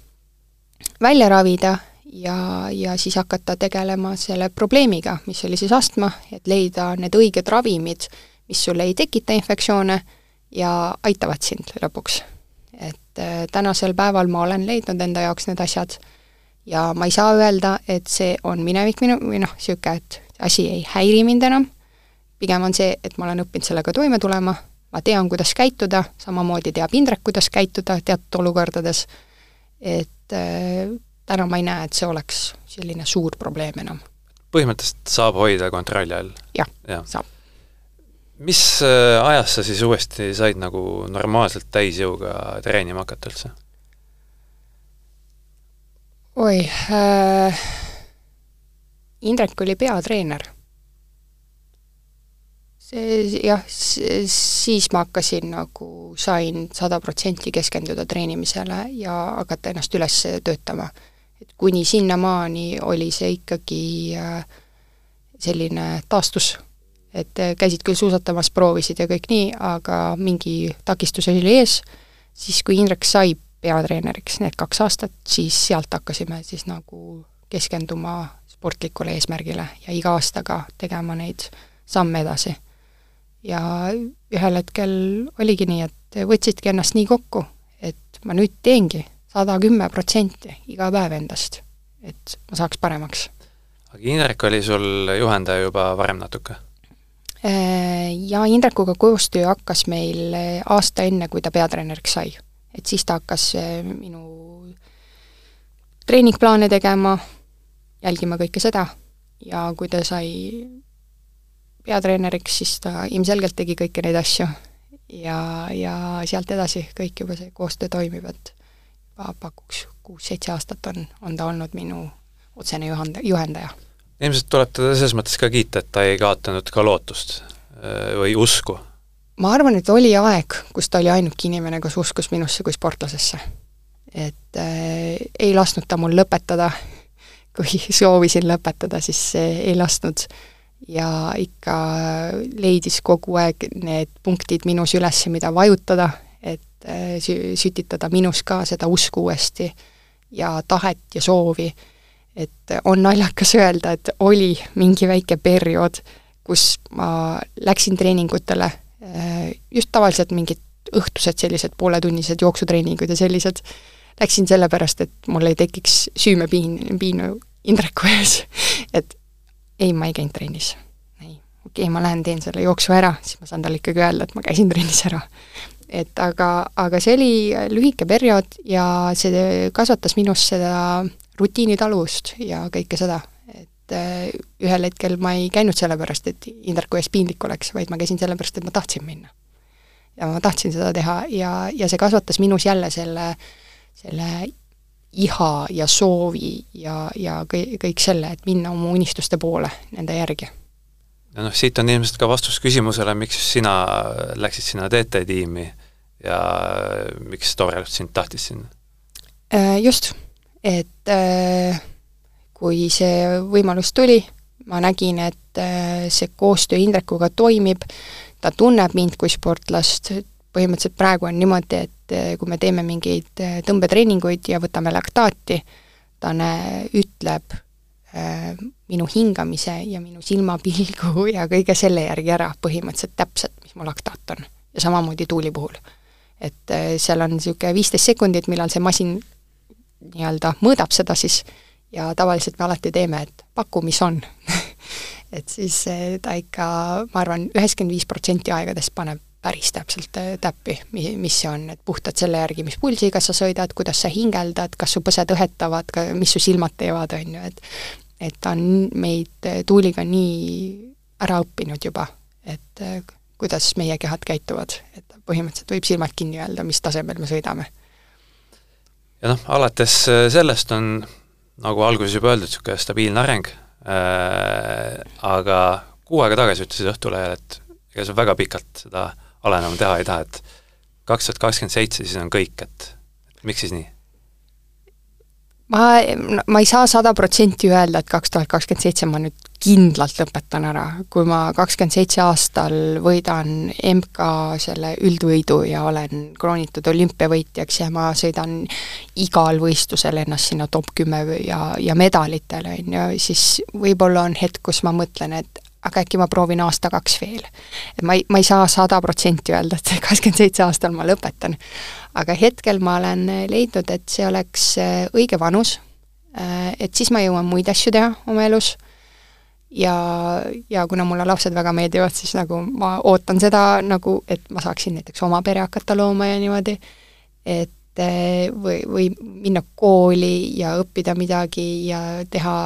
välja ravida ja, ja siis hakata tegelema selle probleemiga, mis oli siis astma, et leida need õiged ravimid, mis sulle ei tekita infektsioone ja aitavad sind lõpuks. Et tänasel päeval ma olen leidnud enda jaoks need asjad ja ma ei saa öelda, et see on minevik minu, või noh, siuke, et asi ei häiri mind enam, pigem on see, et ma olen õppinud sellega toime tulema, ma tean, kuidas käituda, samamoodi teab Indrek, kuidas käituda teatud olukordades, et täna ma ei näe, et see oleks selline suur probleem enam. Põhimõtteliselt saab hoida kontrolli all? Jah, ja. saab. Mis ajas sa siis uuesti said nagu normaalselt täisjõuga treenima hakata üldse? Oi, äh, Indrek oli peatreener. See, jah, siis ma hakkasin nagu, sain sada protsenti keskenduda treenimisele ja hakata ennast üles töötama. Et kuni sinnamaani oli see ikkagi selline taastus, et käisid küll suusatamas, proovisid ja kõik nii, aga mingi takistus oli ees, siis kui Indrek sai peatreeneriks need kaks aastat, siis sealt hakkasime siis nagu keskenduma sportlikule eesmärgile ja iga aastaga tegema neid samme edasi. Ja ühel hetkel oligi nii, et võtsidki ennast nii kokku, et ma nüüd teengi sada kümme protsenti iga päev endast, et ma saaks paremaks. Aga Indrek oli sul juhendaja juba varem natuke? Ja Indrekuga koostöö hakkas meil aasta enne, kui ta peatreeneriks sai. Et siis ta hakkas minu treeningplaane tegema, jälgima kõike seda ja kui ta sai peatreeneriks, siis ta ilmselgelt tegi kõiki neid asju ja, ja sealt edasi kõik juba see koostöö toimib, et pakuks kuus-seitse aastat on, on ta olnud minu otsene juhendaja. Ilmselt tuleb teda selles mõttes ka kiita, et ta ei kaotanud ka lootust või usku. Ma arvan, et oli aeg, kus ta oli ainuke inimene, kus uskus minusse kui sportlasesse. Et äh, ei lasknud ta mul lõpetada, kui soovisin lõpetada, siis ei lasknud ja ikka leidis kogu aeg need punktid minus üles, mida vajutada, et sü- sütitada minus ka seda usku uuesti ja tahet ja soovi. Et on naljakas öelda, et oli mingi väike periood, kus ma läksin treeningutele, just tavaliselt mingid õhtused sellised pooletunnised jooksutreeningud ja sellised, läksin sellepärast, et mul ei tekiks süümepiin, piinu Indreku ees, et ei, ma ei käinud trennis. Ei. Okei, ma lähen teen selle jooksu ära, siis ma saan talle ikkagi öelda, et ma käisin trennis ära. Et aga, aga see oli lühike periood ja see kasvatas minus seda rutiinitaluvust ja kõike seda. Et ühel hetkel ma ei käinud sellepärast, et Indreku ees piinlik oleks, vaid ma käisin sellepärast, et ma tahtsin minna. Ja ma tahtsin seda teha ja, ja see kasvatas minus jälle selle, selle iha ja soovi ja, ja kõik, kõik selle, et minna oma unistuste poole nende järgi. Ja noh, siit on ilmselt ka vastus küsimusele, miks sina läksid sinna T T-tiimi ja miks Torelt sind tahtis sinna? Just, et kui see võimalus tuli, ma nägin, et see koostöö Indrekuga toimib, ta tunneb mind kui sportlast, põhimõtteliselt praegu on niimoodi, et kui me teeme mingeid tõmbetreeninguid ja võtame laktaati, ta ütleb äh, minu hingamise ja minu silmapilgu ja kõige selle järgi ära põhimõtteliselt täpselt, mis mu laktaat on. Ja samamoodi tuuli puhul. Et äh, seal on niisugune viisteist sekundit, millal see masin nii-öelda mõõdab seda siis ja tavaliselt me alati teeme, et paku, mis on. Et siis ta ikka, ma arvan, üheksakümmend viis protsenti aegadest paneb päris täpselt täppi, mis see on, et puhtad selle järgi, mis pulsiga sa sõidad, kuidas sa hingeldad, kas su põsed õhetavad, mis su silmad teevad, on ju, et et ta on meid tuuliga nii ära õppinud juba, et kuidas meie kehad käituvad, et põhimõtteliselt võib silmad kinni öelda, mis tasemel me sõidame. Ja noh, alates sellest on, nagu alguses juba öeldud, niisugune stabiilne areng, äh, aga kuu aega tagasi ütlesid Õhtulehel, et ega sa väga pikalt seda alenema teha ei taha, et kaks tuhat kakskümmend seitse siis on kõik, et, et miks siis nii? Ma, ma ei saa sada protsenti öelda, et kaks tuhat kakskümmend seitse ma nüüd kindlalt lõpetan ära. Kui ma kakskümmend seitse aastal võidan M K selle üldvõidu ja olen kroonitud olümpiavõitjaks ja ma sõidan igal võistlusel ennast sinna top kümme ja, ja medalitele, siis võib-olla on hetk, kus ma mõtlen, et aga äkki ma proovin aasta kaks veel. Et ma ei, ma ei saa sada protsenti öelda, et kakskümmend seitse aastal ma lõpetan. Aga hetkel ma olen leidnud, et see oleks õige vanus, et siis ma jõuan muid asju teha oma elus ja, ja kuna mulle lapsed väga meeldivad, siis nagu ma ootan seda, nagu, et ma saaksin näiteks oma pere hakata looma ja niimoodi, et või, või minna kooli ja õppida midagi ja teha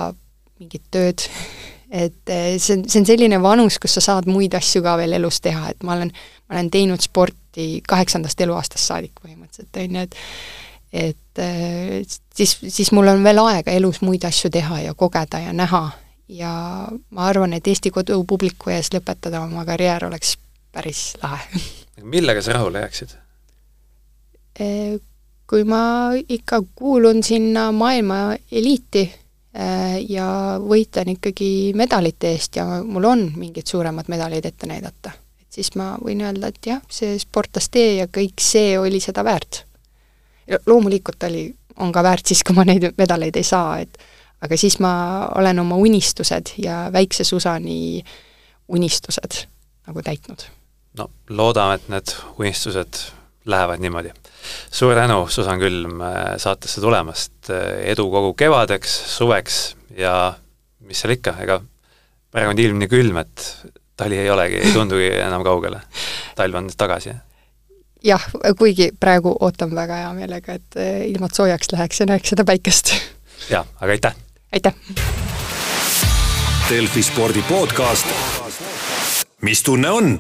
mingit tööd. Et see on, see on selline vanus, kus sa saad muid asju ka veel elus teha, et ma olen, ma olen teinud sporti kaheksandast eluaastast saadik põhimõtteliselt, on ju, et et siis, siis mul on veel aega elus muid asju teha ja kogeda ja näha ja ma arvan, et Eesti kodupubliku ees lõpetada oma karjäär oleks päris lahe. Millega sa rahule jääksid? Kui ma ikka kuulun sinna maailma eliiti ja võitlen ikkagi medalite eest ja mul on mingid suuremad medalid ette näidata, et siis ma võin öelda, et jah, see sportlastee ja kõik see oli seda väärt. Loomulikult oli, on ka väärt siis, kui ma neid medaleid ei saa, et aga siis ma olen oma unistused ja väikse Susani unistused nagu täitnud. No, loodame, et need unistused lähevad niimoodi. Suur tänu, Susan Külm, saatesse tulemast. Edu kogu kevadeks, suveks ja mis seal ikka, ega praegu on ilm nii külm, et tali ei olegi, ei tundugi enam kaugele. Talv on tagasi. Jah, kuigi praegu ootan väga hea meelega, et ilmad soojaks läheks ja näeks seda päikest. Ja, aga aitäh! Aitäh! Delfi spordi podcast. Mis tunne on?